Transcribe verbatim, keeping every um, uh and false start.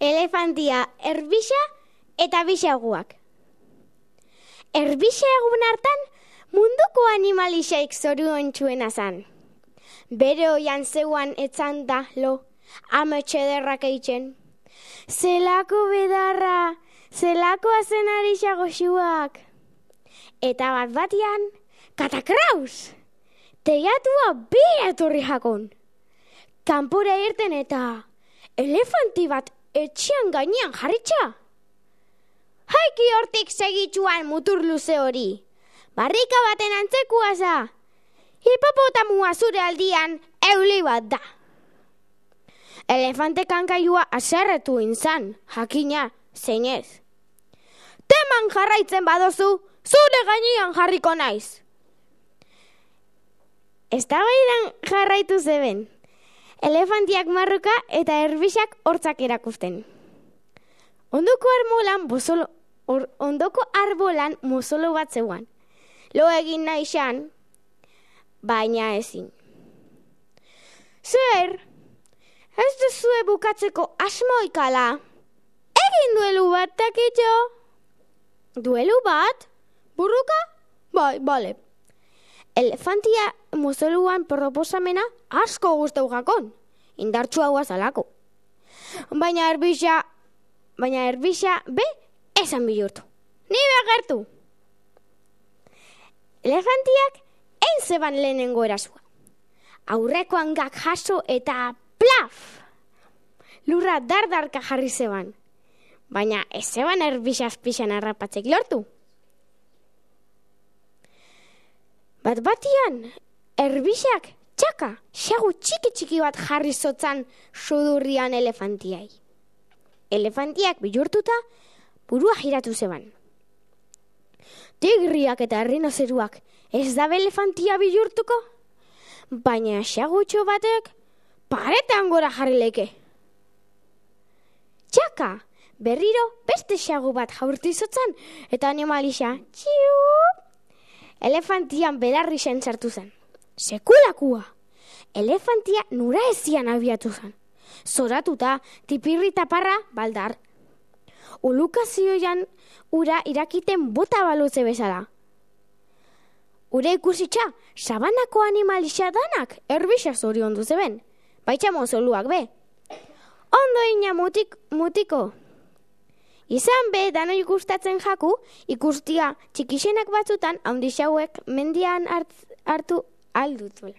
elefantia, erbisa eta bisaguak. Erbisagun hartan munduko animalixaik zoriontsuena zan. Bere oian zeuan etzan da lo, ametxe derrak eitzen. Zelako bedarra, zelako azenari xagoxuak. Eta bat batian, katakraus! Teiatua bera etorri jakon. Kanpora irten eta elefanti bat etxean gainean jarritxa. Haiki hortik segitzuan mutur luze hori. Barrika baten antzekua za. Hipopotamua zure aldian euli bat da. Elefante kankaiua aserretu inzan, jakina, zeinez. Teman jarraitzen badozu, zure gainean jarriko naiz. Eztabaidan jarraitu zeben. Elefantiak marruka eta erbisak hortzak erakusten. Ondoko arbolan bozolo, or, ondoko arbolan mozolo bat zeuan. Lo egin nahi xan, baina ezin. Zer, ez duzue bukatzeko asmoikala. Egin duelu bat takitxo. Duelu bat? Burruka? Bai, bale. Elefantia mozoluan proposamena asko gustau jakon, indartsua guazalako. Baina erbisa, baina erbisa be esan bihurtu. Ni begertu. Elefantiak ein zeban lehenengo erasua. Aurreko hangak jaso eta plaf! Lurra dardarka jarri zeban. Baina ez zeban erbisaz pixan harrapatzek lortu. Bat batian, erbisak txaka, xagu txiki-txiki bat jarri zotzan sudurrian elefantiai. Elefantiak bihurtuta burua jiratu zeban. Tigriak eta errinozeruak ez dabe elefantia bihurtuko? Baina xagutxo batek paretan gora jarri leke. Txaka, berriro beste xagu bat jaurti zotzan eta animalisa txiup! Elefantian belarri zen sartu zen. Sekulakua! Elefantia nura ezian abiatu zen. Zoratuta, tipirri taparra baldar. Ulukazioan ura irakiten bota balutze bezala. Ure ikusitxa, sabanako animalisa danak erbisa zorion duzeben. Baitxa mozoluak be. Ondo ina mutik, mutiko. Izan be, dano ikustatzen jaku, ikustia txikixenak batzutan, haundi xauek mendian hartu aldutula.